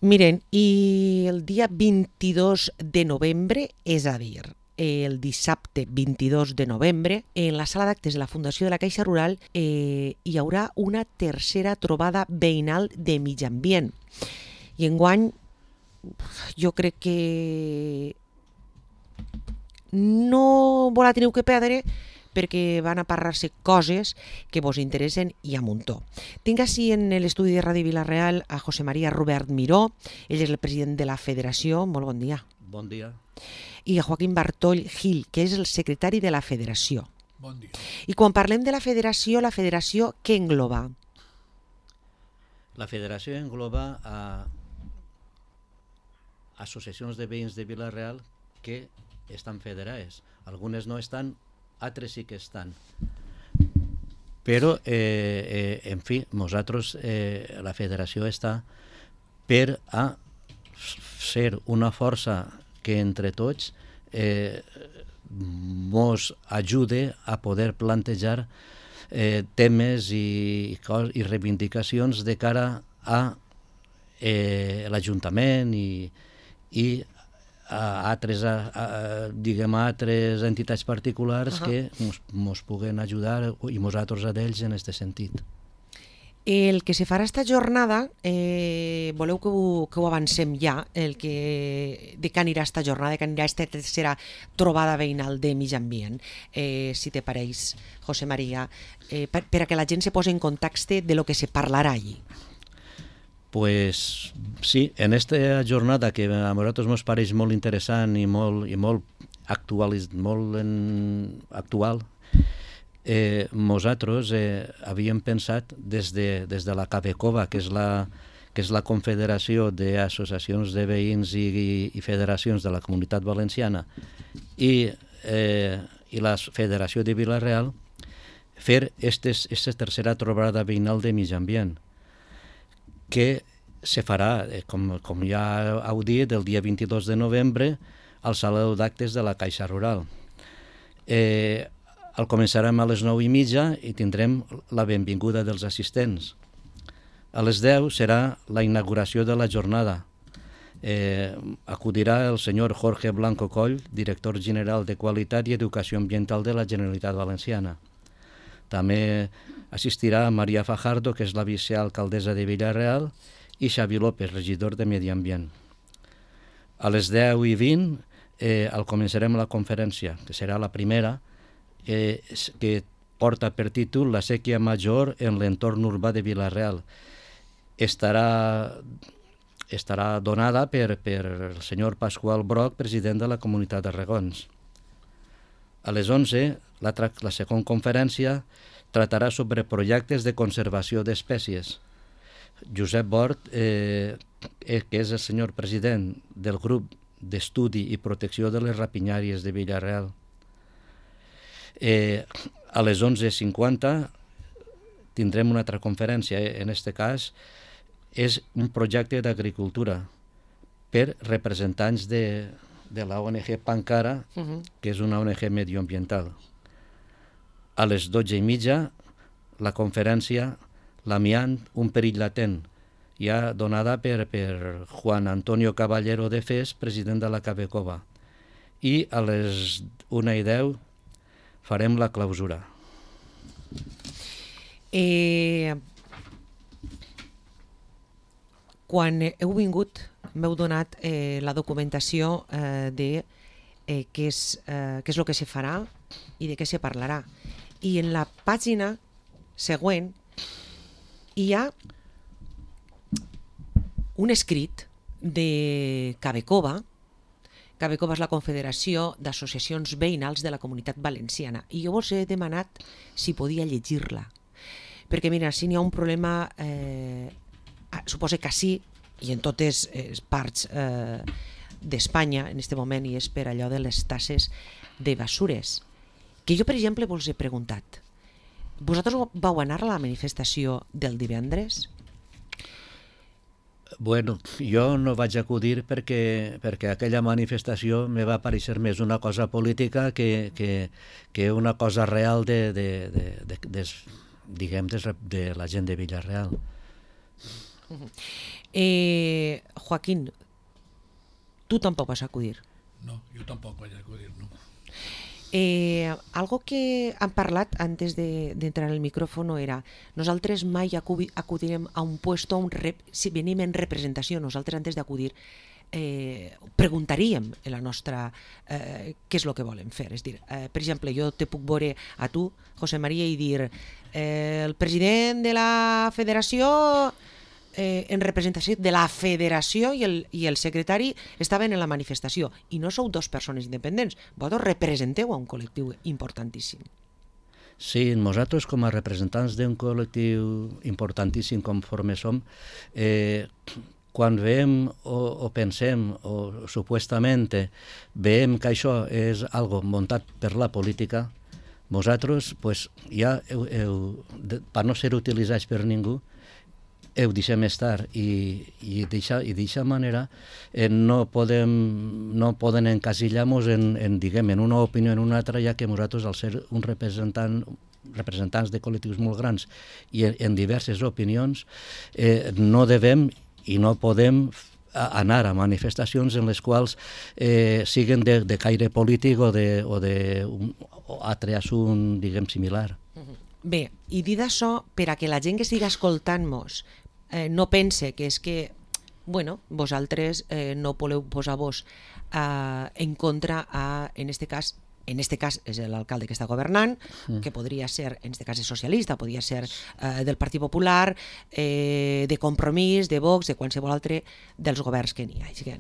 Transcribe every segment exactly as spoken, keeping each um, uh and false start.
Miren, i el dia vint-i-dos de novembre, és a dir, el dissabte vint-i-dos de novembre, en la sala d'actes de la Fundació de la Caixa Rural eh, hi haurà una tercera trobada veïnal de mig ambient. I enguany jo crec que no vos la teniu que perdre perquè van a parlar-se coses que vos interessen i a muntó. Tinc així en l'estudi de Ràdio Vila-real a José María Robert Miró, ell és el president de la Federació, molt bon dia. Bon dia. I a Joaquín Bartoll Gil, que és el secretari de la Federació. Bon dia. I quan parlem de la Federació, la Federació què engloba? La Federació engloba a associacions de veïns de Vila-real que estan federades. Algunes no estan, altres sí que estan. Però, eh, eh, en fi, nosaltres, eh, la federació està per a ser una força que entre tots eh, mos ajude a poder plantejar eh, temes i, i reivindicacions de cara a eh, l'Ajuntament i, i a altres, a, a, diguem, a altres entitats particulars uh-huh. que mos, mos puguen ajudar i nosaltres a d'ells en aquest sentit. El que se farà esta jornada, eh, voleu que ho, que ho avancem ja, el que, de què anirà esta jornada, de què anirà esta tercera trobada veïnal de mig ambient, eh, si te pareix, José María, eh, per, per a que la gent se posi en contexte de lo que se parlarà allí. Pues sí, en esta jornada que a nosaltres ens pareix molt interessant i molt, i molt, actual, molt en, actual, eh, nosaltres eh, havíem pensat des de, des de la CABECOVA, que és la, que és la Confederació d'Associacions de Veïns i, i, i Federacions de la Comunitat Valenciana, i, eh, i la Federació de Vila-real, fer aquesta tercera trobada veïnal de mig ambient, que se farà, eh, com, com ja heu dit, el dia vint-i-dos de novembre al Saló d'Actes de la Caixa Rural. Eh, el començarem a les nou i mitja i tindrem la benvinguda dels assistents. A les deu serà la inauguració de la jornada. Eh, acudirà el senyor Jorge Blanco Coll, director general de Qualitat i Educació Ambiental de la Generalitat Valenciana. També assistirà Maria Fajardo, que és la vicealcaldessa de Vila-real, i Xavi López, regidor de Medi Ambient. A les deu i vint eh, el començarem la conferència, que serà la primera, eh, que porta per títol La sèquia major en l'entorn urbà de Vila-real. Estarà, estarà donada per, per el senyor Pasqual Broc, president de la Comunitat de Regons. A les onze, la, la segona conferència tratarà sobre projectes de conservació d'espècies. Josep Bort, eh, que és el senyor president del grup d'estudi i protecció de les rapinyàries de Vila-real. Eh, a les onze cinquanta tindrem una altra conferència. En aquest cas és un projecte d'agricultura per representants de, de la O N G Pancara, uh-huh. que és una O N G medioambiental. A les dotze i mitja, la conferència L'amiant, un perill latent, ja donada per, per Juan Antonio Caballero de Fes, president de la CABECOVA. I a les una i deu farem la clausura. Eh, quan heu vingut, m'heu donat eh, la documentació eh, de eh, què és, eh, què és el que se farà i de què se parlarà. I en la pàgina següent hi ha un escrit de CABECOVA. CABECOVA és la Confederació d'Associacions Veïnals de la Comunitat Valenciana, i jo vos he demanat si podia llegir-la, perquè mira, si n'hi ha un problema, eh, suposa que sí, i en totes les parts eh, d'Espanya en aquest moment, i és per allò de les tasses de basures, que jo per exemple vos he preguntat, vosaltres vau anar a la manifestació del divendres? Bueno, jo no vaig acudir perquè, perquè aquella manifestació me va aparèixer més una cosa política que, que, que una cosa real de, de, de, de, de, diguem, de, de la gent de Vila-real. Eh, Joaquín, tú tampoc vas a acudir. No, jo tampoc vaig acudir, no. Eh, algo que han parlat antes de, de entrar al micrófono era nosaltres mai acu acudirem a un puesto, a un rep si venim en representació, nosaltres antes d'acudir eh, preguntaríem en la nostra eh, què és el que volem fer. És dir, eh, per exemple, jo te puc veure a tu, José María, i dir eh, el president de la federació eh, en representació de la federació i el, i el secretari estaven en la manifestació i no sou dos persones independents, vosaltres representeu a un col·lectiu importantíssim. Sí, nosaltres com a representants d'un col·lectiu importantíssim conforme som, eh, quan veiem o, o pensem o supuestament veiem que això és algo muntat per la política, vosaltres, pues, ja heu, heu, per no ser utilitzats per ningú, ho deixem estar i, i d'aquesta manera eh, no, podem, no poden encasillar-nos en, en, diguem, en una opinió en una altra, ja que nosaltres, al ser un representant representants de col·lectius molt grans i en, en diverses opinions, eh, no devem i no podem anar a manifestacions en les quals eh, siguen de, de caire polític o de, o de un, o altre assunt, diguem, similar. Bé, i dit això, per a que la gent que estigui escoltant-nos eh, no pense que és que, bueno, vosaltres eh, no voleu posar-vos eh, en contra, a, en este cas, en este cas és l'alcalde que està governant, mm. que podria ser, en este cas és socialista, podria ser eh, del Partit Popular, eh, de Compromís, de Vox, de qualsevol altre dels governs que n'hi hagi.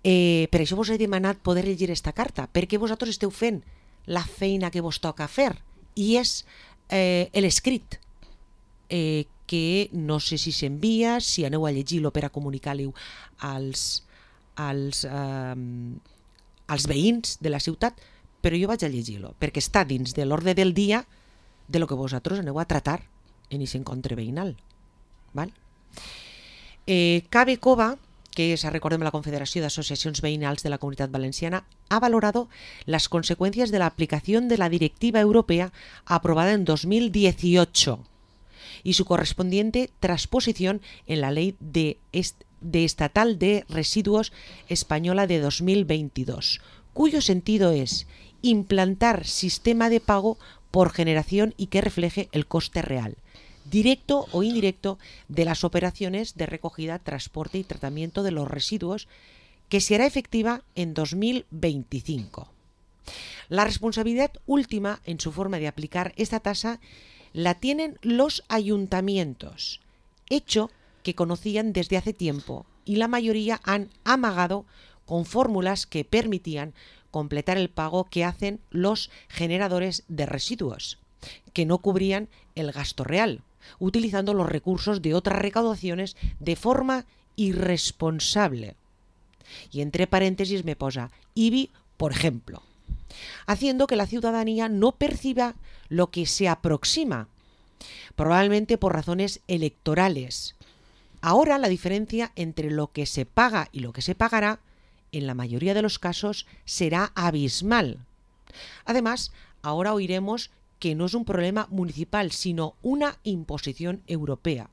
Eh, per això vos he demanat poder llegir esta carta, perquè vosaltres esteu fent la feina que vos toca fer, i és eh, l'escrit, eh, que no sé si s'envia, si aneu a llegir-lo per a comunicar-lo als, als, eh, als veïns de la ciutat, però jo vaig a llegir-lo, perquè està dins de l'ordre del dia de lo que vosaltres aneu a tratar en aquest encontre veïnal. ¿Val? Eh, Cabe Cova, que es, recordem, la Confederació d'Associacions Veïnals de la Comunitat Valenciana, ha valorado las consecuencias de la aplicación de la Directiva Europea aprobada en dos mil dieciocho y su correspondiente transposición en la Ley de, est de Estatal de Residuos Española de dos mil veintidós, cuyo sentido es implantar sistema de pago por generación y que refleje el coste real, directo o indirecto, de las operaciones de recogida, transporte y tratamiento de los residuos, que se hará efectiva en dos mil veinticinco. La responsabilidad última en su forma de aplicar esta tasa la tienen los ayuntamientos, hecho que conocían desde hace tiempo, y la mayoría han amagado con fórmulas que permitían completar el pago que hacen los generadores de residuos, que no cubrían el gasto real, utilizando los recursos de otras recaudaciones de forma irresponsable. Y entre paréntesis me posa I B I, por ejemplo, haciendo que la ciudadanía no perciba lo que se aproxima, probablemente por razones electorales. Ahora la diferencia entre lo que se paga y lo que se pagará, en la mayoría de los casos, será abismal. Además, ahora oiremos que no es un problema municipal, sino una imposición europea,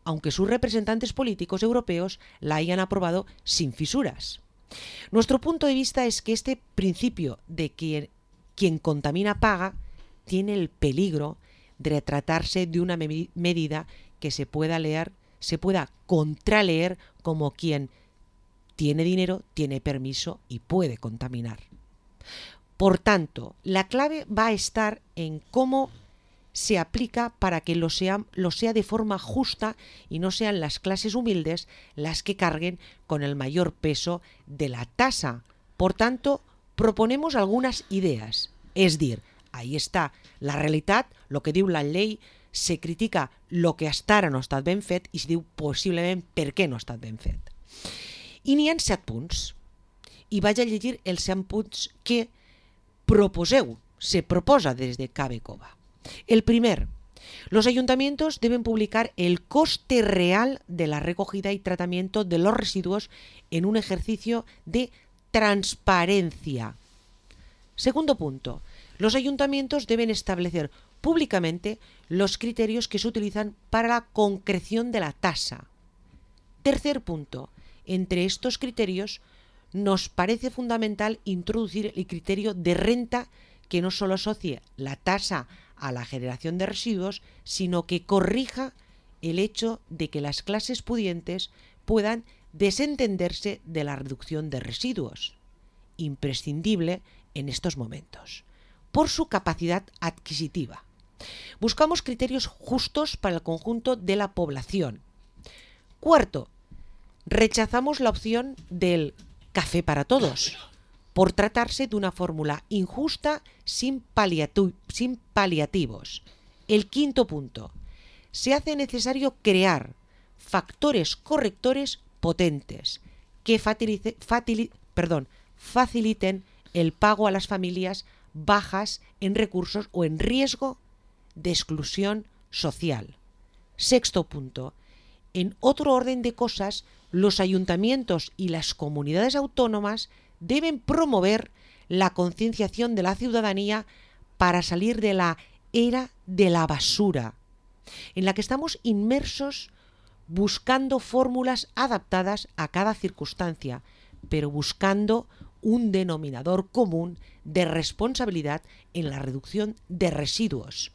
aunque sus representantes políticos europeos la hayan aprobado sin fisuras. Nuestro punto de vista es que este principio de que quien contamina paga tiene el peligro de tratarse de una me- medida que se pueda leer, se pueda contraleer como quien tiene dinero, tiene permiso y puede contaminar. Por tanto, la clave va a estar en cómo se aplica para que lo sea, lo sea de forma justa y no sean las clases humildes las que carguen con el mayor peso de la tasa. Por tanto, proponemos algunas ideas. Es decir, ahí está la realitat, lo que diu la llei, se critica lo que hasta ara no ha estat ben fet i se diu possiblement per què no ha estat ben fet. I n'hi ha set punts. I vaig a llegir els set punts que proposeu, se proposa desde Cabe Cova. El primer, los ayuntamientos deben publicar el coste real de la recogida y tratamiento de los residuos en un ejercicio de transparencia. Segundo punto, los ayuntamientos deben establecer públicamente los criterios que se utilizan para la concreción de la tasa. Tercer punto, entre estos criterios nos parece fundamental introducir el criterio de renta que no solo asocie la tasa a la generación de residuos, sino que corrija el hecho de que las clases pudientes puedan desentenderse de la reducción de residuos, imprescindible en estos momentos, por su capacidad adquisitiva. Buscamos criterios justos para el conjunto de la población. Cuarto, rechazamos la opción del café para todos, por tratarse de una fórmula injusta sin, paliatu- sin paliativos. El quinto punto, se hace necesario crear factores correctores potentes que facilite, facili- perdón, faciliten el pago a las familias bajas en recursos o en riesgo de exclusión social. Sexto punto, en otro orden de cosas, los ayuntamientos y las comunidades autónomas deben promover la concienciación de la ciudadanía para salir de la era de la basura, en la que estamos inmersos buscando fórmulas adaptadas a cada circunstancia, pero buscando un denominador común de responsabilidad en la reducción de residuos,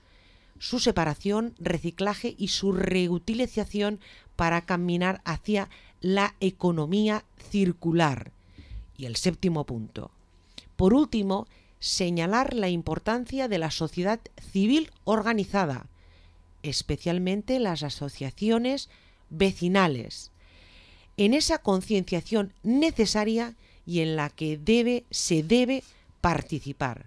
su separación, reciclaje y su reutilización para caminar hacia la economía circular. Y el séptimo punto. Por último, señalar la importancia de la sociedad civil organizada, especialmente las asociaciones vecinales, en esa concienciación necesaria y en la que debe, se debe participar.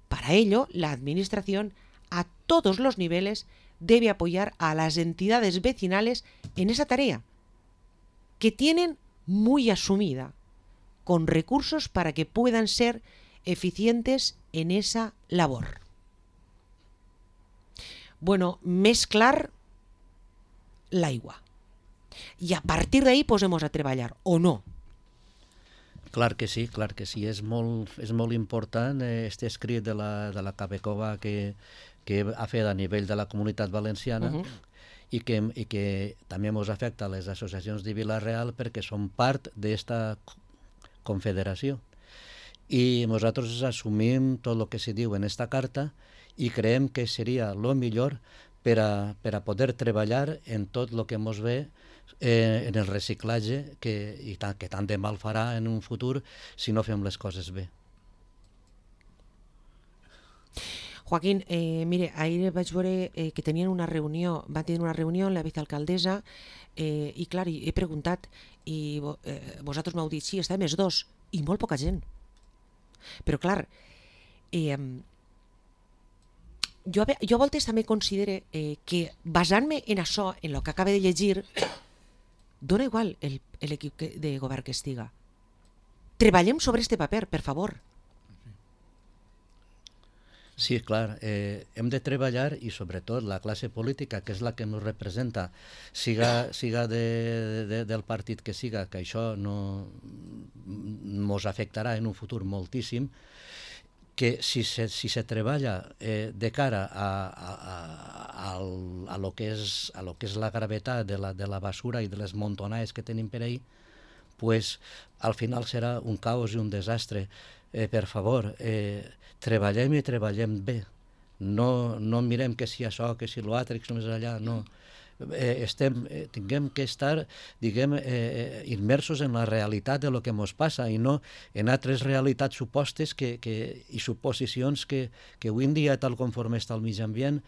Para ello, la Administración, a todos los niveles, debe apoyar a las entidades vecinales en esa tarea, que tienen muy asumida, con recursos para que puedan ser eficientes en esa labor. Bueno, mezclar l'aigua. I a partir d'ahí posem-nos a treballar, o no? Clar que sí, clar que sí. És molt, és molt important aquest eh, escrit de la, de la Cabecova que, que ha fet a nivell de la Comunitat Valenciana uh -huh. i, que, i que també ens afecta a les associacions de Vila-real perquè són part d'esta confederació. I nosaltres assumim tot el que se diu en esta carta i creiem que seria el millor per a, per a poder treballar en tot el que ens ve eh, en el reciclatge que, i tant, que tant de mal farà en un futur si no fem les coses bé. Joaquín, eh, mire, ahir vaig veure eh, que tenien una reunió, van tenir una reunió amb la vicealcaldessa eh, i clar, he preguntat i eh, vosaltres m'heu dit, sí, estàvem els dos i molt poca gent. Però clar, eh, jo, jo a voltes també considero eh, que basant-me en això, en el que acaba de llegir, dona igual l'equip de govern que estiga. Treballem sobre este paper, per favor. Sí, clar, eh, hem de treballar i sobretot la classe política, que és la que ens representa, siga, siga de, de, del partit que siga, que això no ens afectarà en un futur moltíssim, que si se, si se treballa eh, de cara a, a, a, a, a, lo que és, a lo que és la gravetat de la, de la basura i de les montonades que tenim per ahí, pues al final serà un caos i un desastre. Eh, per favor, eh, treballem i treballem bé. No, no mirem que si això, que si l'altre, que si només allà, no. Eh, estem, eh, tinguem que estar, diguem, eh, immersos en la realitat de lo que ens passa i no en altres realitats supostes que, que, i suposicions que, que avui en dia, tal conforme està el mig ambient,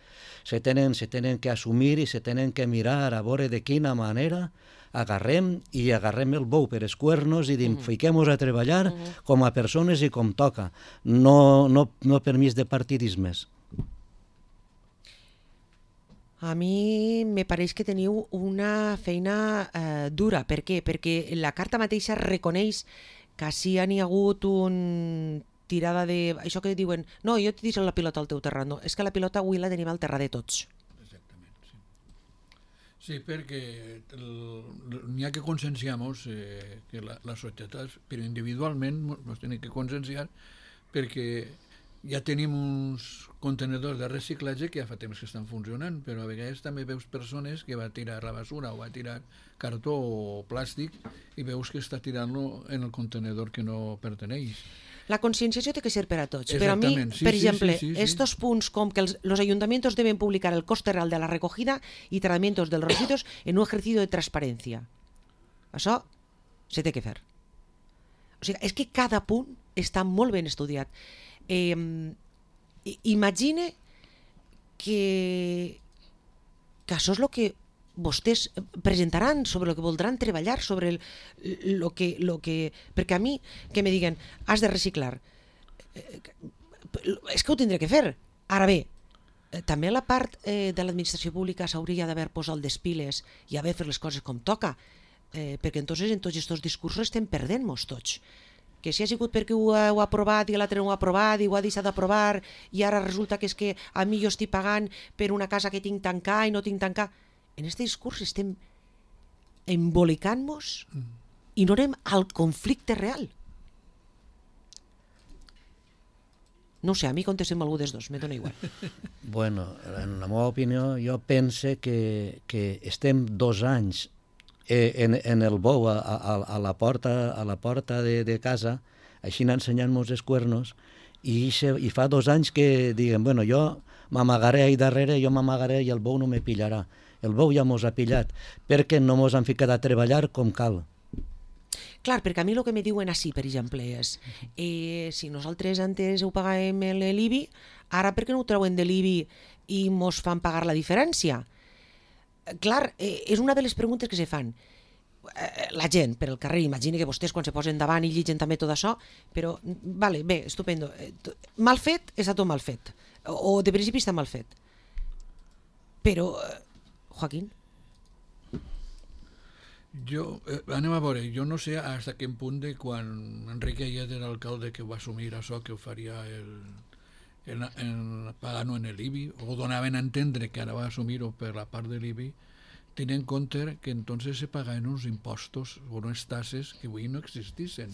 se tenen, se tenen que assumir i se tenen que mirar a veure de quina manera agarrem i agarrem el bou per els cuernos i dim, uh-huh. fiquem-nos a treballar uh-huh. com a persones i com toca, no, no, no per mig de partidismes. A mi me pareix que teniu una feina eh, dura. Per què? Perquè la carta mateixa reconeix que si hi ha hagut un tirada de... Això que diuen, no, jo t'he deixat la pilota al teu terrat. No, és que la pilota avui la tenim al terrat de tots. Sí, perquè n'hi ha que conscienciar-nos eh, que la, la societat, però individualment ens tenim que conscienciar perquè ja tenim uns contenedors de reciclatge que ja fa temps que estan funcionant, però a vegades també veus persones que va tirar la basura o va tirar cartó o plàstic i veus que està tirant-lo en el contenedor que no perteneix. La conscienciació té que ser per a tots, però a mi, Sí, per sí, exemple, sí, sí, sí. estos punts com que els, los ayuntamientos deben publicar el coste real de la recogida y tratamientos de los residuos en un ejercicio de transparència. Això se té que fer. O sigui, és que cada punt està molt ben estudiat. Eh, imagine que, que això és el que vostès presentaran, sobre el que voldran treballar, sobre el, lo que, lo que... Perquè a mi, que me diguen, has de reciclar, eh, és que ho tindré que fer. Ara bé, eh, també la part eh, de l'administració pública s'hauria d'haver posat les piles i haver fet les coses com toca, eh, perquè entonces en tots aquests discursos estem perdent-nos tots. Que si ha sigut perquè ho ha, ho ha aprovat i l'altre no ho ha aprovat i ho ha deixat d'aprovar i ara resulta que és que a mi jo estic pagant per una casa que tinc tancar i no tinc tancar. En aquest discurs estem embolicant-nos i no anem al conflicte real. No sé, a mi contestem algú dels dos, me dona igual. Bueno, en la meva opinió, jo pense que, que estem dos anys eh, en, en el bou a, a, a la porta, a la porta de, de casa, així ensenyant-nos els cuernos, i, se, i fa dos anys que diguen, bueno, jo m'amagaré ahí darrere, jo m'amagaré i el bou no me pillarà. El bou ja mos ha pillat, perquè no mos han ficat a treballar com cal. Clar, perquè a mi el que me diuen així, per exemple, és eh, si nosaltres antes ho pagàvem l'I B I, ara per què no ho treuen de l'I B I i mos fan pagar la diferència? Clar, eh, és una de les preguntes que se fan. Eh, la gent, per el carrer, imagina que vostès quan se posen davant i lligen també tot això, però, vale, bé, estupendo. Eh, mal fet, està tot mal fet. O de principi està mal fet. Però... Eh, Joaquín? Jo, eh, anem a veure, jo no sé fins a quin punt de quan Enrique Ayet era alcalde que va assumir això, que ho faria el, el, el pagant-ho en l'I B I, o donaven a entendre que ara va assumir-ho per la part de l'I B I, tenint en compte que entonces se pagaven uns impostos o unes tasses que avui no existissin.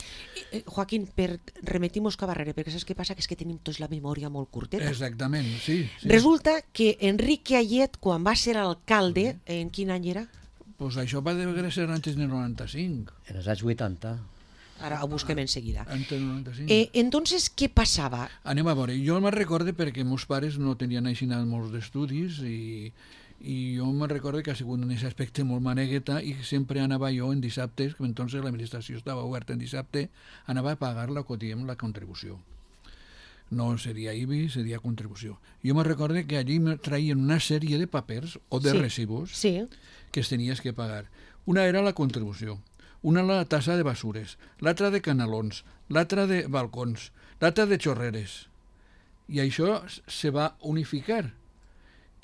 Eh, Joaquín, per remitir-nos cap arrere, perquè saps què passa? Que és que tenim tots la memòria molt curteta. Exactament, sí. sí. Resulta que Enrique Ayet, quan va ser alcalde, en quin any era? Pues això va deure ser antes del noranta-cinc. En els anys vuitanta. Ara ho busquem en seguida. Antes del noranta-cinc. Eh, entonces, què passava? Anem a veure, jo me'n recorde perquè meus pares no tenien així molts d'estudis i, i jo me'n recorde que ha sigut en aquest aspecte molt manegueta i sempre anava jo en dissabtes, que entonces l'administració estava oberta en dissabte, anava a pagar la, diem, la contribució. No seria I B I, seria contribució. Jo me'n recorde que allí me traien una sèrie de papers o de Sí, recibos sí. que es tenies que pagar. Una era la contribució, una la tassa de basures, l'altra de canalons, l'altra de balcons, l'altra de xorreres. I això se va unificar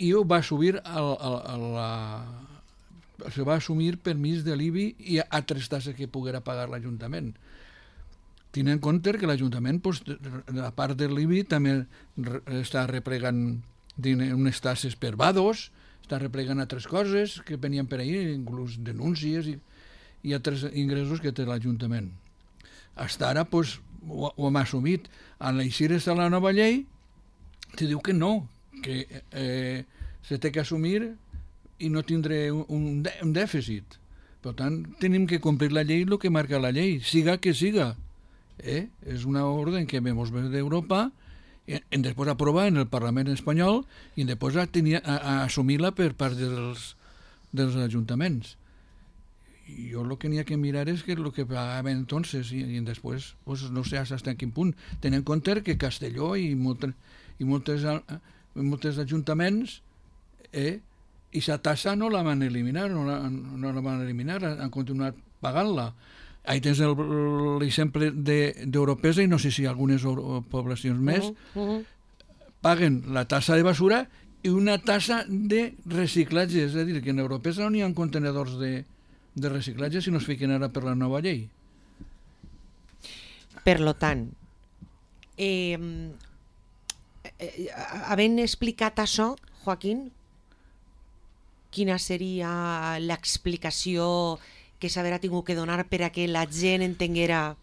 i ho va subir a, a, a la... se va assumir permís de l'I B I i altres tasses que poguera pagar l'Ajuntament. Tenint en compte que l'Ajuntament, pues, a part de l'I B I, també re, està replegant unes tasses per vados, està replegant altres coses que venien per ahir, inclús denúncies i, i altres ingressos que té l'Ajuntament. Fins ara pues, ho, ho hem assumit. En l'eixir de la nova llei te diu que no, que eh, se té que assumir i no tindré un, un dèficit. Per tant, tenim que complir la llei el que marca la llei, siga que siga. Eh? És una ordre que vam ve d'Europa, en després aprovar en el Parlament espanyol i després a, tenir, a, a assumir-la per part dels, dels ajuntaments. I jo el que n'hi ha que mirar és que el que pagaven entonces i, i després pues, no sé fins a quin punt. Tenen en compte que Castelló i, moltes, i moltes, moltes ajuntaments eh, i la tassa no la van eliminar, no la, no la van eliminar, han continuat pagant-la. Ahí tens l'exemple d'Europesa i no sé si algunes poblacions més uh -huh. paguen la tassa de basura i una tassa de reciclatge. És a dir, que en Europesa no hi ha contenedors de, de reciclatge si no es fiquen ara per la nova llei. Per lo tant, eh, eh, havent explicat això, Joaquín, quina seria l'explicació que s'haurà tingut que donar per a que la gent entenguera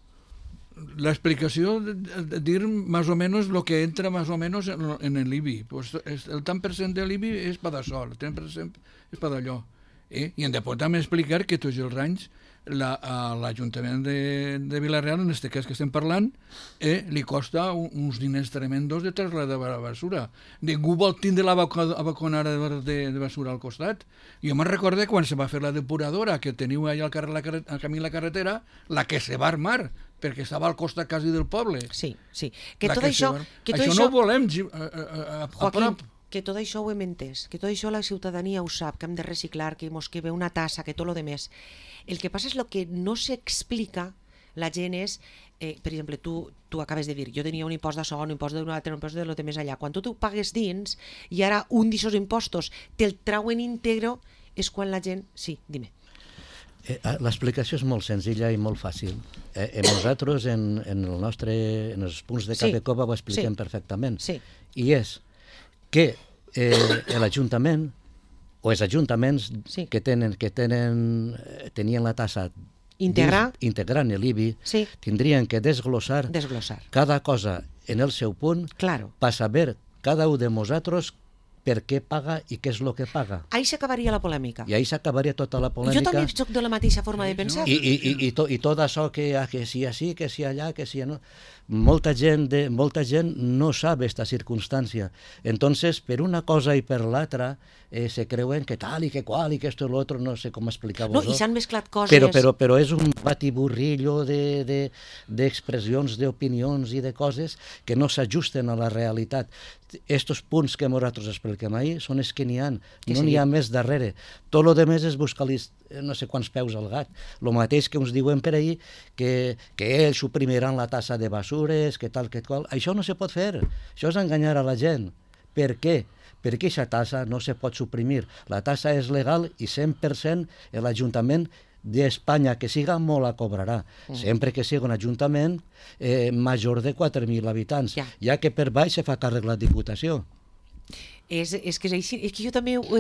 la explicació de, de dir más o menos lo que entra más o menos en, en el I B I. Pues es, el tant per cent de l'I B I és per d'això, el tant per cent és per d'allò. Eh? I hem de poder també explicar que tots els anys l'Ajuntament de, de Vila-real, en aquest cas que estem parlant, eh, li costa un, uns diners tremendos de traslladar la basura. Ningú vol tindre la baconara de, de, de basura al costat. Jo me'n recordo quan se va fer la depuradora, que teniu allà al, carrer, la, al camí la carretera, la que se va armar, perquè estava al costat quasi del poble. Sí, sí. Que tot que això... Que tot això, això no ho volem a, a, a, a prop. Que tot això ho hem entès, que tot això la ciutadania ho sap, que hem de reciclar, que mos que ve una tassa, que tot lo demés. El que passa és el que no s'explica la gent és, eh, per exemple, tu, tu acabes de dir, jo tenia un impost d'això, un impost d'un altre, un impost de lo de més allà. Quan tu t'ho pagues dins i ara un d'aquests impostos te'l trauen íntegro, és quan la gent... Sí, dime. Eh, L'explicació és molt senzilla i molt fàcil. Eh, eh, nosaltres, en, en, el nostre, en els punts de Cabecova, ho expliquem sí. perfectament. Sí. I és que eh, l'Ajuntament o els ajuntaments sí. que tenen que tenen tenien la tassa Integrar. integrant l'I B I sí. tindrien que desglossar, desglossar cada cosa en el seu punt claro. per saber cada un de nosaltres per què paga i què és el que paga. Ahí s'acabaria la polèmica. I ahí s'acabaria tota la polèmica. Jo també soc de la mateixa forma de pensar. I, i, i, i, to, i tot això que, que si així, que si allà, que si no... Molta gent, de, molta gent no sap aquesta circumstància. Entonces, per una cosa i per l'altra, eh, se creuen que tal i que qual i que esto i l'altre, no sé com explicar-vos. No, i s'han mesclat coses... Però, però, però és un batiburrillo d'expressions, de, de, d'opinions i de coses que no s'ajusten a la realitat. Estos punts que nosaltres expliquem ahir són els que n'hi ha, no n'hi ha més darrere. Tot el que més és buscar-li no sé quants peus al gat. El mateix que ens diuen per ahir que, que ells suprimiran la tassa de basures, que tal, que qual. Això no se pot fer. Això és enganyar a la gent. Per què? Perquè aquesta tassa no se pot suprimir. La tassa és legal i cent per cent l'Ajuntament d'Espanya que siga molt la cobrarà, mm. sempre que sigui un ajuntament eh, major de quatre mil habitants, ja. ja que per baix se fa càrrec la Diputació. És, és, que és, així, és que jo també ho, ho,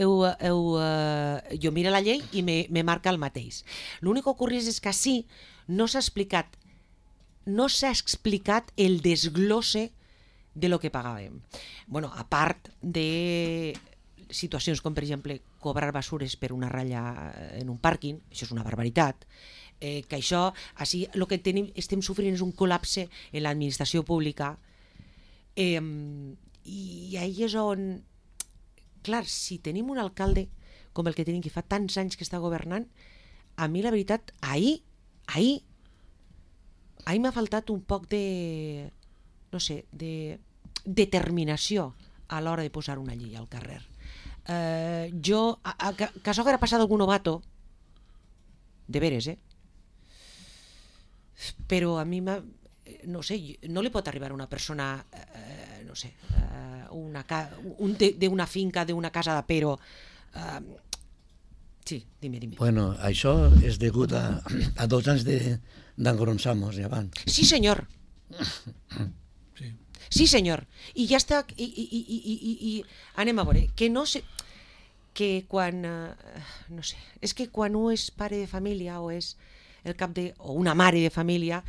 ho, ho, uh, jo miro la llei i me, me marca el mateix. L'únic que ocorre és que sí, no s'ha explicat no s'ha explicat el desglosse de lo que pagàvem. Bueno, a part de situacions com, per exemple, cobrar basures per una ratlla en un pàrquing, això és una barbaritat, eh, que això, així, el que tenim, estem sofrint és un col·lapse en l'administració pública, eh, i ahí és on, clar, si tenim un alcalde com el que tenim, que fa tants anys que està governant, a mi la veritat, ahir, ahir, ahir m'ha faltat un poc de, no sé, de determinació a l'hora de posar una llei al carrer. Eh, jo, a, a, que això haguera passat algun novato, de veres, eh? Però a mi m'ha... no sé, no li pot arribar a una persona, eh, no sé, eh, una ca... un d'una finca, d'una casa de Pero. Eh, sí, dime, dime. Bueno, això és degut a, a dos anys d'engronsamos, ja van. Sí, senyor. Sí. Sí, senyor. I ja està, i, i, i, i, i, i anem a veure, que no sé, que quan, eh, no sé, és que quan un és pare de família o és el cap de, o una mare de família,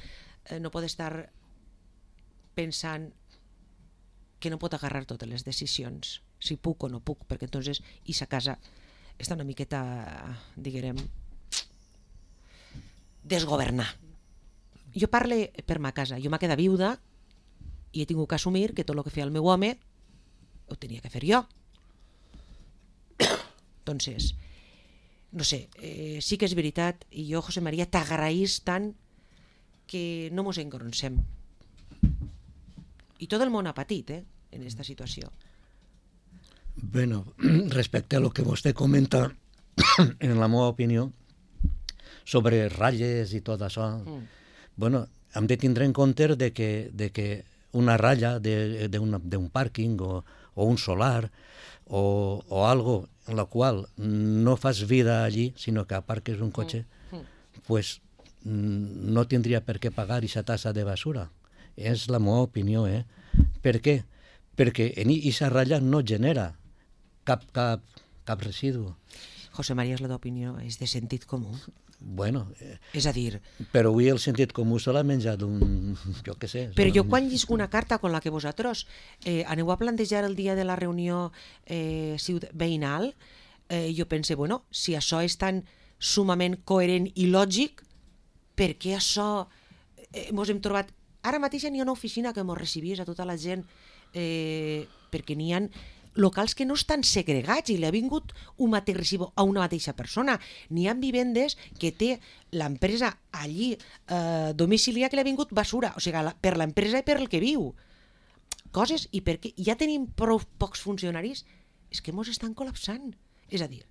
eh, no pot estar pensant que no pot agarrar totes les decisions, si puc o no puc, perquè entonces i sa casa està una miqueta, diguem, desgovernar. Jo parle per ma casa, jo m'ha quedat viuda i he tingut que assumir que tot el que feia el meu home ho tenia que fer jo. Entonces, no sé, eh, sí que és veritat, i jo, José María, t'agraïs tant que no mos engronsem. I tot el món ha patit, eh, en aquesta situació. Bueno, respecte a lo que vostè comenta, en la meva opinió, sobre ratlles i tot això, mm. bueno, hem de tindre en compte de que, de que una ratlla d'un pàrquing o, o un solar o, o algo en la qual no fas vida allí, sinó que aparques un cotxe, mm. Mm. pues no tindria per què pagar aquesta tassa de basura. És la meva opinió, eh? Per què? Perquè en aquesta ratlla no genera cap, cap, cap residu. José María, és la teva opinió, és de sentit comú. bueno... Eh, És a dir... Però avui el sentit comú se l'ha menjat un... jo què sé. Però jo quan llisc una carta com la que vosaltres eh, aneu a plantejar el dia de la reunió eh, veïnal, eh, jo pense, bueno, si això és tan sumament coherent i lògic, per què això eh, mos hem trobat... Ara mateix n'hi ha una oficina que mos recibís a tota la gent eh, perquè n'hi ha locals que no estan segregats i li ha vingut un mateix recibo a una mateixa persona. N'hi ha vivendes que té l'empresa allí eh, domiciliar que li ha vingut basura, o sigui, la, per l'empresa i per el que viu. Coses, i perquè ja tenim prou pocs funcionaris, és que mos estan col·lapsant. És a dir,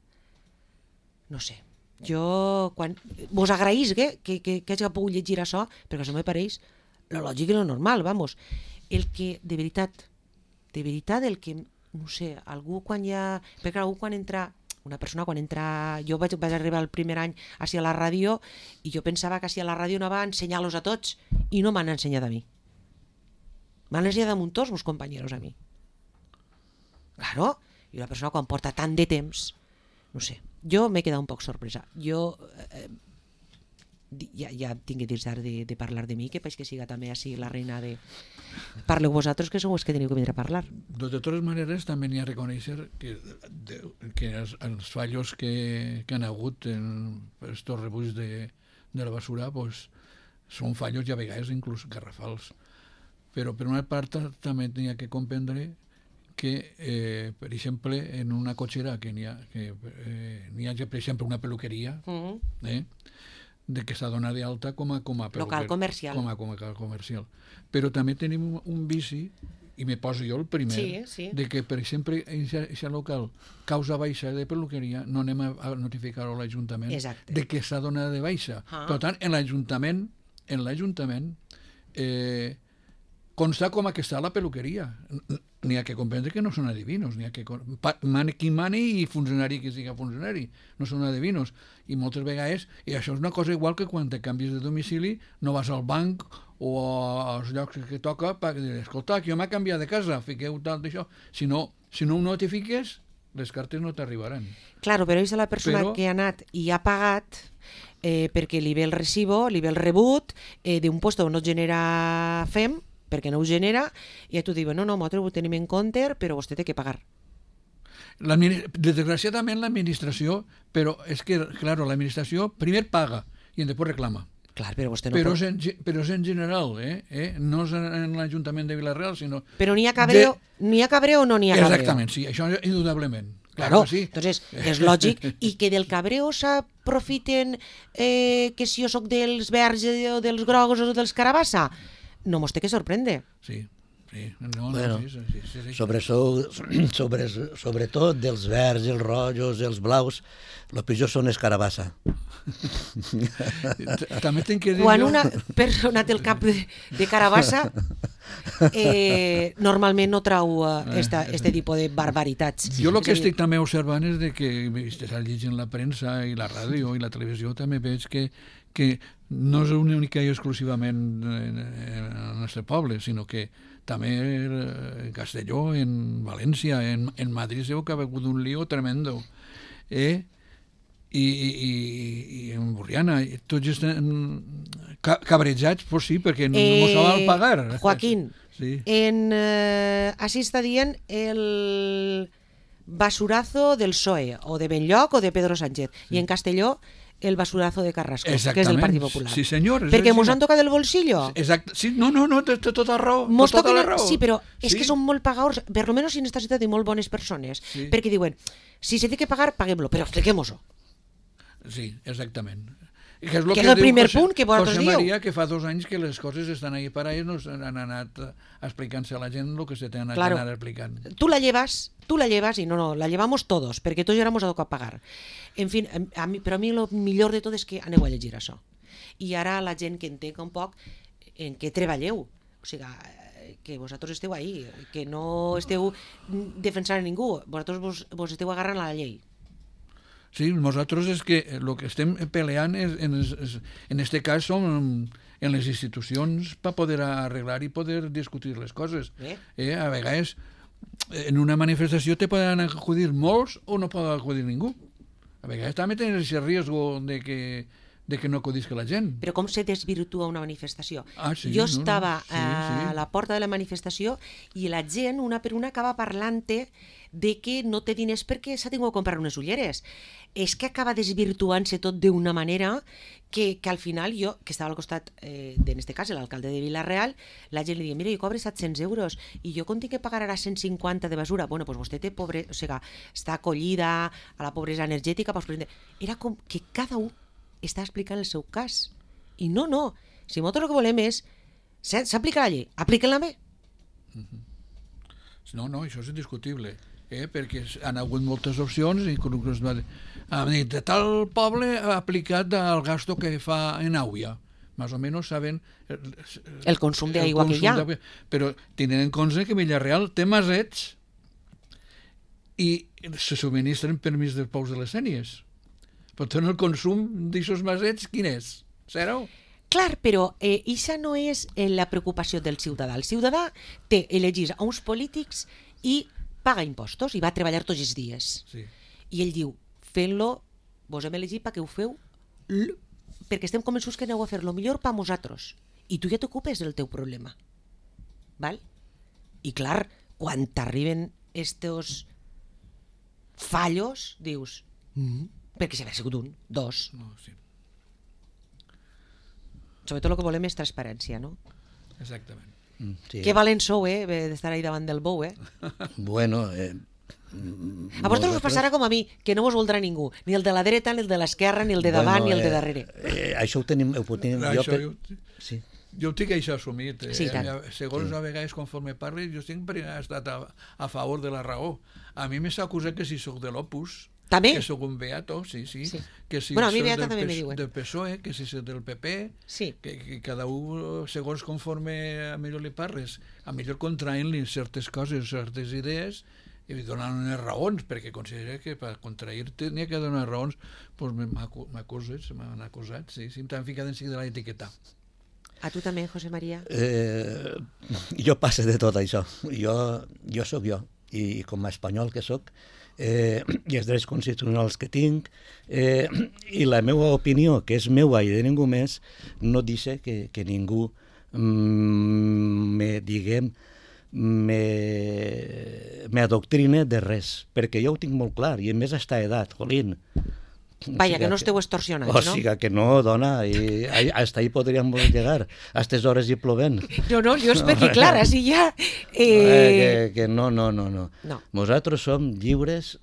no sé, jo quan vos agraïs que, que, que, que hagi pogut llegir això, perquè això me pareix lo lògic i lo normal, vamos. El que, de veritat, de veritat, el que, no sé, algú quan ja... Perquè algú quan entra, una persona quan entra... Jo vaig, vaig arribar el primer any així a la ràdio i jo pensava que així a la ràdio anava a ensenyar-los a tots i no m'han ensenyat a mi. M'han ensenyat a muntós, meus companyeros, a mi. Claro, i una persona quan porta tant de temps, no sé, jo m'he quedat un poc sorpresa. Jo... Eh, ja, ja tinc que dir de, de parlar de mi, que paix que siga també així la reina de... Parleu vosaltres, que sou els que teniu que vindre a parlar. De totes maneres, també n'hi ha a reconèixer que, de, que els, els fallos que, que han hagut en estos rebuig de, de la basura pues, són fallos i a vegades inclús garrafals. Però per una part també n'hi ha que comprendre que, eh, per exemple, en una cotxera que n'hi ha, que, eh, n'hi ha, per exemple, una peluqueria, mm-hmm. eh, de que s'ha donat d'alta com a, com a local comercial. Com a, com a comercial. Però també tenim un, un vici, i me poso jo el primer, sí, sí. de que, per exemple, en aquest local, causa baixa de peluqueria, no anem a, a notificar-ho a l'Ajuntament de que s'ha donat de baixa. Ah. Per tant, en l'Ajuntament, en l'Ajuntament, eh, consta com a que està la peluqueria. N'hi ha que comprendre que no són adivinos, n'hi ha que mani qui mani i funcionari qui siga funcionari, no són adivinos. I moltes vegades, i això és una cosa igual que quan te canvies de domicili, no vas al banc o als llocs que toca per dir, escolta, que jo m'he canviat de casa, fiqueu tal d'això. Si no, si no ho notifiques, les cartes no t'arribaran. Claro, però és la persona però... que ha anat i ha pagat eh, perquè li ve el recibo, li ve el rebut eh, d'un lloc on no genera F E M, perquè no ho genera, i tu dius, no, no, nosaltres ho tenim en compte, però vostè té que pagar. Desgraciadament l'administració, però és que, clar, l'administració primer paga i després reclama. Clar, però vostè no però, pot... és en, però és en general, eh? eh? No és en l'Ajuntament de Vila-real, sinó... Però n'hi ha cabreo, de... n'hi ha cabreo o no n'hi ha cabreo? Exactament, sí, això indudablement. Claro, claro sí. Entonces és lògic, i que del cabreo s'aprofiten eh, que si jo soc dels verds o dels grocs o dels carabassa, no mos té que sorprendre. Sí, sí. No, bueno, no, sí, sí, sí, sí. Sobre, so, sobre, sobretot dels verds, els rojos, els blaus, el pitjor són els carabassa. També tinc que dir Quan jo... una persona té el cap de, de carabassa, eh, normalment no trau esta, este tipus de barbaritats. Jo el que estic també observant és de que, estàs llegint la premsa i la ràdio i la televisió, també veig que, que no és única i exclusivament en el nostre poble, sinó que també en Castelló, en València, en, en Madrid se veu que ha hagut un lío tremendo. Eh? I, i, i en Borriana, tots estan cabrejats, pues sí, perquè no eh, s'ha de pagar. Joaquín, sí. en, eh, així està dient el basurazo del P S O E, o de Benlloc o de Pedro Sánchez, sí. I en Castelló el basurazo de Carrasco, que és del Partit Popular. Sí, senyor. Perquè mos han tocat el bolsillo. Exacte. Sí, no, no, no, té tota raó. Mos tota toquen, la raó. Sí, però és sí. que són molt pagadors, per lo menos en esta ciutat hi molt bones persones, sí. Perquè diuen, si se té que pagar, paguem-lo, però expliquem-ho. Sí, exactament. Que és, lo que que és el primer José, punt que vosaltres José dieu. Maria, que fa dos anys que les coses estan ahí per ahí, no han anat explicant-se a la gent el que se t'han claro. anat explicant. Tu la llevas, tu la llevas i no, no, la llevamos todos, perquè tots éramos a tocar pagar. En fin, a mi, però a mi el millor de tot és que aneu a llegir això. I ara la gent que entenga un poc en què treballeu. O sigui, que vosaltres esteu ahí, que no esteu defensant a ningú, vosaltres vos, vos esteu agarrant a la llei. Sí, nosaltres és que el que estem peleant és, en, és, en este cas som en les institucions per poder arreglar i poder discutir les coses. Eh? Eh, a vegades en una manifestació te poden acudir molts o no pot acudir ningú. A vegades també tens aquest risc de que de que no acudisca la gent. Però com se desvirtua una manifestació? Ah, sí, jo no, no, estava sí, a sí. la porta de la manifestació i la gent, una per una, acaba parlant-te de que no té diners perquè s'ha tingut de comprar unes ulleres. És que acaba desvirtuant-se tot d'una manera que, que al final jo, que estava al costat, eh, en este cas, l'alcalde de Vila-real, la gent li diu, mira, jo cobre set-cents euros i jo com tinc que pagar ara cent cinquanta de basura? Bueno, doncs vostè té pobre, o sigui, està acollida a la pobresa energètica. Pues, era com que cada un està explicant el seu cas. I no, no. Si nosaltres el que volem és s'aplica la llei, apliquen-la bé. No, no, això és indiscutible. Eh? Perquè han hagut moltes opcions i han dit, de tal poble ha aplicat el gasto que fa en aigua. Más o menos saben el, el consum d'aigua que hi ha. Però tenen en compte que Vila-real té masets i se subministren permís dels pous de les Sénies. Per tant, el consum d'aixòs masets, quin és? Zero? Clar, però eh, això no és eh, la preocupació del ciutadà. El ciutadà té elegir a uns polítics i paga impostos i va a treballar tots els dies. Sí. I ell diu, fent-lo, vos hem elegit perquè ho feu l... perquè estem convençuts que aneu a fer-lo millor per a vosaltres. I tu ja t'ocupes del teu problema. Val? I clar, quan t'arriben estos fallos, dius, mm, perquè si haver sigut un, dos. No, sí. Sobretot el que volem és transparència, no? Exactament. Mm, sí. Que valents sou, eh, d'estar ahí davant del bou, eh? Bueno, eh, a vosaltres us passarà com a mi, que no vos voldrà ningú, ni el de la dreta, ni el de l'esquerra, ni el de davant, bueno, ni el de eh, darrere. Eh, això ho tenim... Ho tenim Això, jo, jo, sí. jo ho tinc això assumit. Eh? Sí, tant. Segons sí. A vegades, conforme parli, jo sempre he estat a, a favor de la raó. A mi m'he acusat que si sóc de l'Opus, també? que sóc un beato, sí, sí. Sí. Que si bueno, a mi soc beata del, també P- me diuen. del P S O E, que si soc del P P, Sí. que, que cada un, segons conforme a millor li parles, a millor contraint-li certes coses, certes idees, i donant unes raons, perquè considera que per contrair-te n'hi ha que donar raons, doncs m'acuses, m'han acusat, sí, sí, m'han ficat en seguida de l'etiqueta. A tu també, José María? Eh, jo passe de tot això. Jo, jo sóc jo, i com a espanyol que sóc, eh, i els drets constitucionals que tinc, eh, i la meva opinió, que és meua i de ningú més, no deixa que, que ningú mm, me, diguem, me, me adoctrine de res, perquè jo ho tinc molt clar, i a més a esta edat, jolín. Vaja, que no esteu extorsionats, o no? O sigui que no, dona, i hasta ahí podríem llegar, a aquestes hores i plovent. No, no, jo és perquè, clar, així ja... Eh... Eh... Que, que no, no, no, no. no. Nosaltres som lliures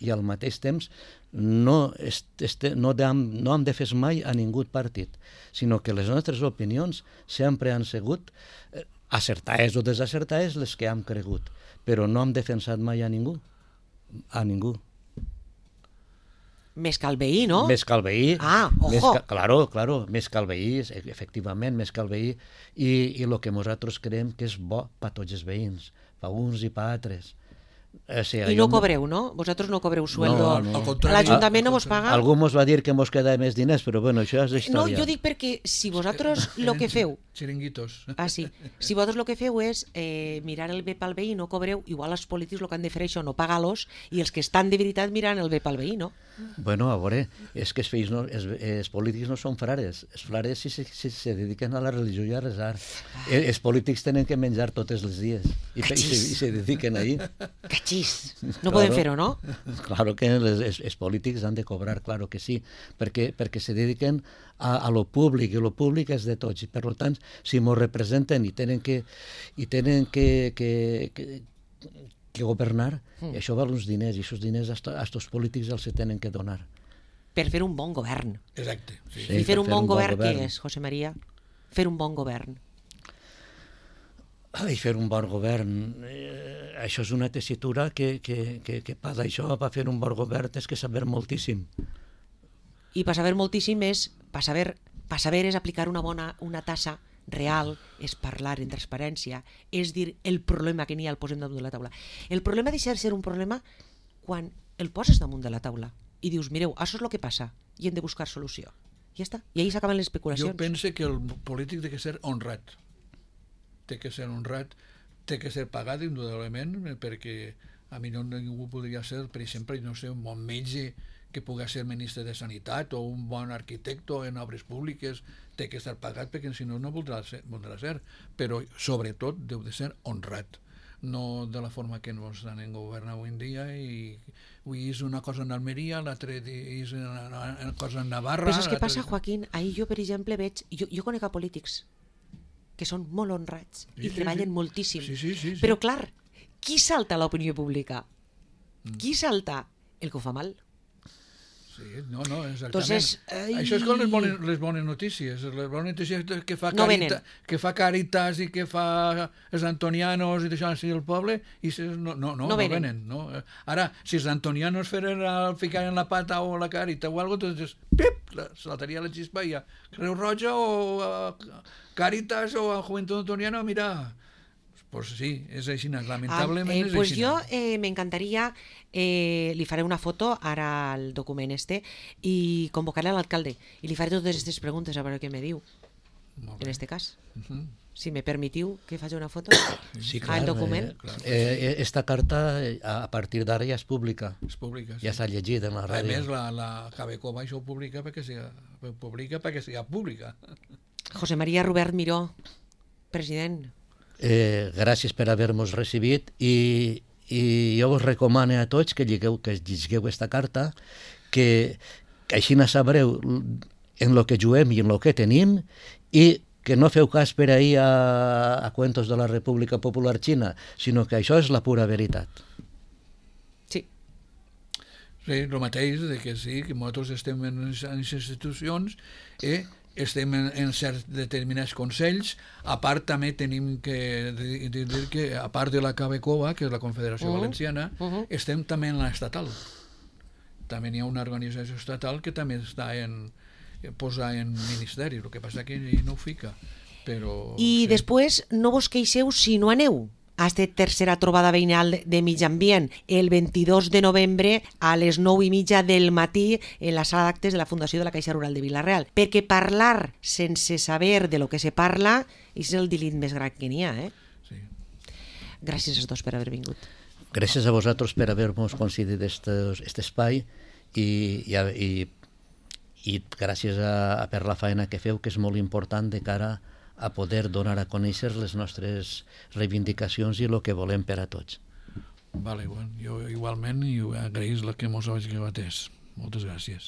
i al mateix temps no, est, este, no, hem, no hem defès mai a ningú partit, sinó que les nostres opinions sempre han sigut eh, acertades o desacertades les que hem cregut, però no hem defensat mai a ningú, a ningú. Més que el veí, no? Més que el veí. Ah, ojo. Més que, claro, claro, més que el veí, efectivament, més que el veí, i, i el que nosaltres creiem que és bo per tots els veïns, per uns i per altres. O sigui, I no cobreu, no? Vosaltres no cobreu sueldo. No, no. Al contrari. L'Ajuntament no vos paga? Algú mos va dir que mos queda més diners, però bueno, això és història. No, jo dic perquè si vosaltres el que feu... Xiringuitos. Ah, sí. Si vosaltres el que feu és eh, mirar el bé pel veí i no cobreu, igual els polítics el que han de fer això, no pagar-los, i els que estan de veritat mirant el bé pel veí, no? Bueno, a veure, és que els, fills no, els, els polítics no són frares. Els frares si, si, si se dediquen a la religió i a resar. Ah. Els polítics tenen que menjar tots els dies i, i, se, i se dediquen ahí. Cachís. No claro, podem fer-ho, no? Claro que les, els, els polítics han de cobrar, claro que sí, perquè, perquè se dediquen a, a lo públic, i lo públic és de tots, i per tant, si mos representen i tenen que, i tenen que, que, que, que governar, mm. això val uns diners, i aquests diners a aquests polítics els se tenen que donar. Per fer un bon govern. Exacte. Sí. Sí, I fer un fer bon, un bon govern, govern, què és, José María? Fer un bon govern. I fer un bon govern, eh, això és una tessitura que, que, que, que per això, per fer un bon govern, és que saber moltíssim. I per saber moltíssim és, per saber, per saber és aplicar una bona una tassa real, és parlar en transparència, és dir el problema que n'hi ha el posem damunt de la taula. El problema deixa de ser un problema quan el poses damunt de la taula i dius, mireu, això és el que passa i hem de buscar solució. Ja està. I ahí s'acaben les especulacions. Jo penso que el polític té que ser honrat. Té que ser honrat, té que ser pagat indudablement, perquè a mi no ningú podria ser, per exemple, no sé, un bon metge que pugui ser ministre de Sanitat o un bon arquitecte en obres públiques, té que estar pagat perquè si no no voldrà ser, voldrà ser. Però sobretot deu de ser honrat, no de la forma que ens estan en govern avui en dia, i avui és una cosa en Almeria, l'altre és una, una cosa en Navarra. Però saps què passa, Joaquín? Ahir jo, per exemple, veig... Jo, jo conec a polítics que són molt honrats Sí, i sí, treballen sí. moltíssim. Sí, sí, sí, sí. Però, clar, qui salta a l'opinió pública? Qui salta? El que ho fa mal. Sí, no, no, exactament. Entonces, ai... Això és com les bones, les bones notícies. Les bones notícies que fa, No carita, venen. que fa Càritas i que fa els antonianos i deixant així el poble, i se, no, no, no, No no venen. venen. No? Ara, si els antonianos feren el ficar en la pata o la Càrita o algo, doncs, pip, la- saltaria la xispa i ja. Creu Roja o uh, Càritas o Juventud Antoniana, mira... Pues sí, és així, lamentablement Ah, eh, és pues així. jo eh, me encantaría, eh, li faré una foto ara al document este i convocaré a l'alcalde i li faré totes aquestes preguntes a veure què me diu Molt en bé. este cas. Mhm. Si me permitiu que faci una foto Sí, al document. Eh, Clar. eh, esta carta, eh, a partir d'ara ja és pública. És pública, sí. Ja s'ha llegit en la A ràdio. més, la, la Cabecova això ho publica perquè siga publica perquè siga pública. José María Robert Miró, president. Eh, gràcies per haver-nos recibit i, i jo us recomano a tots que lligueu, que lligueu esta carta, que, que així no sabreu en lo que juguem i en lo que tenim, i que no feu cas per ahir a, a cuentos de la República Popular Xina, sinó que això és la pura veritat. Sí. Sí, el mateix, de que sí, que nosaltres estem en les institucions, eh, estem en, en certs determinats consells. A part també tenim que dir, dir que a part de la Cabecova, que és la Confederació Uh-huh. Valenciana, Uh-huh. estem també en l'estatal. També hi ha una organització estatal que també està en posar en ministeri, el que passa que ell no ho fica. Però, I sí. després no vos queixeu si no aneu a esta tercera trobada veïnal de Mig Ambient el vint-i-dos de novembre a les nou i mitja del matí en la sala d'actes de la Fundació de la Caixa Rural de Vila-real. Perquè parlar sense saber de lo que se parla és el delit més gran que n'hi ha. Eh? Sí. Gràcies als dos per haver vingut. Gràcies a vosaltres per haver-nos concedit aquest espai i, i, i, i gràcies a, a per la feina que feu, que és molt important de cara a poder donar a conèixer les nostres reivindicacions i el que volem per a tots. Vale, bueno, jo igualment i agraïs la que mos hagi atès. Moltes gràcies.